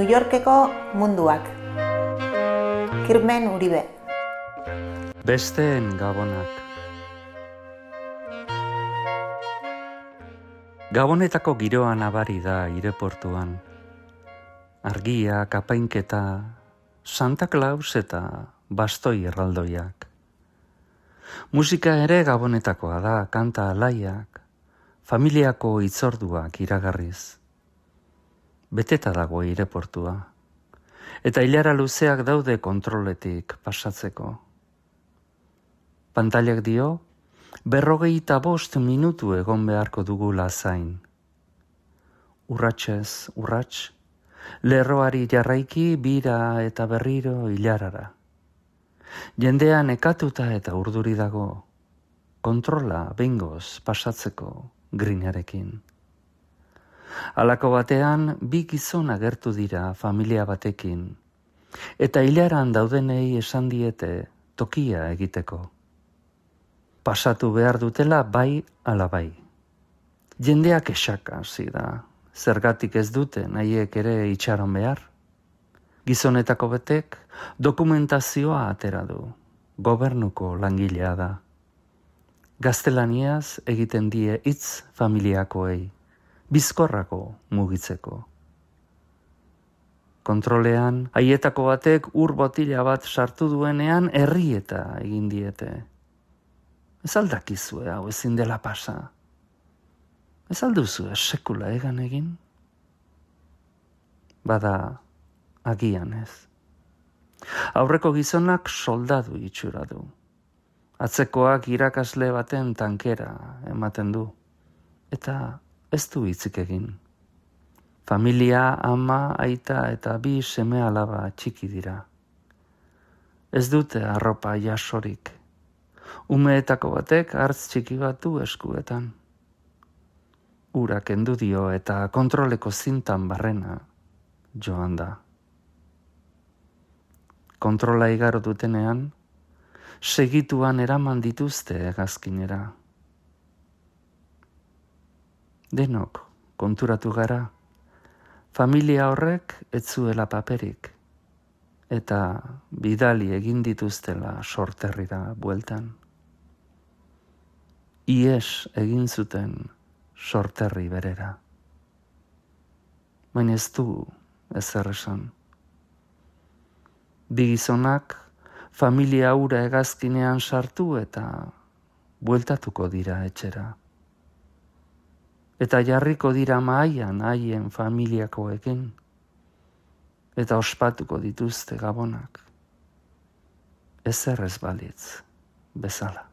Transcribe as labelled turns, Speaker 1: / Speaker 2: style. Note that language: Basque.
Speaker 1: New Yorkeko munduak. Kirmen Uribe.
Speaker 2: Besteen gabonak. Gabonetako giroa nabari da aireportuan. Argia, kapainketa, Santa Claus eta bastoi erraldoiak. Musika ere gabonetakoa da, kanta alaiak, familiako hitzorduak iragarriz. Beteta dago aireportua. Eta ilara luzeak daude kontroletik pasatzeko. Pantailak dio, 45 minutu egon beharko dugula zain. Urratsez urrats, lerroari jarraiki bira eta berriro ilarara. Jendea nekatuta eta urduri dago, kontrola behingoz pasatzeko grinarekin. Halako batean, bi gizon agertu dira familia batekin, eta ilaran daudenei esan diete tokia egiteko. Pasatu behar dutela bai ala bai. Jendeak esaka hasi da, zergatik ez dute nahiek ere itxaron behar. Gizonetako betek dokumentazioa atera du, gobernuko langilea da. Gaztelaniaz egiten die hitz familiakoei, bizkorrako mugitzeko. Kontrolean, haietako batek ur botila bat sartu duenean errieta egin diete. Ez aldakizue hau ezin dela pasa. Ez alduzue sekula egan egin? Bada, agian ez. Aurreko gizonak soldadu itxura du. Atzekoak irakasle baten tankera ematen du. Eta ez du hitzik egin. Familia, ama, aita eta bi seme alaba txiki dira. Ez dute arropa jasorik. Umeetako batek hartz txiki bat du eskuetan. Ura kendu dio eta kontroleko zintan barrena joan da. Kontrola igaro dutenean, segituan eraman dituzte hegazkinera. Denok konturatu gara, familia horrek ez zuela paperik, eta bidali egin dituztela sorterrira bueltan. Ies egin zuten sorterri berera. Baina ez du ezer esan. Bi gizonak familia hura hegazkinean sartu eta bueltatuko dira etxera. Eta jarriko dira mahaian haien familiakoekin, eta ospatuko dituzte gabonak. Ezer ez balitz bezala.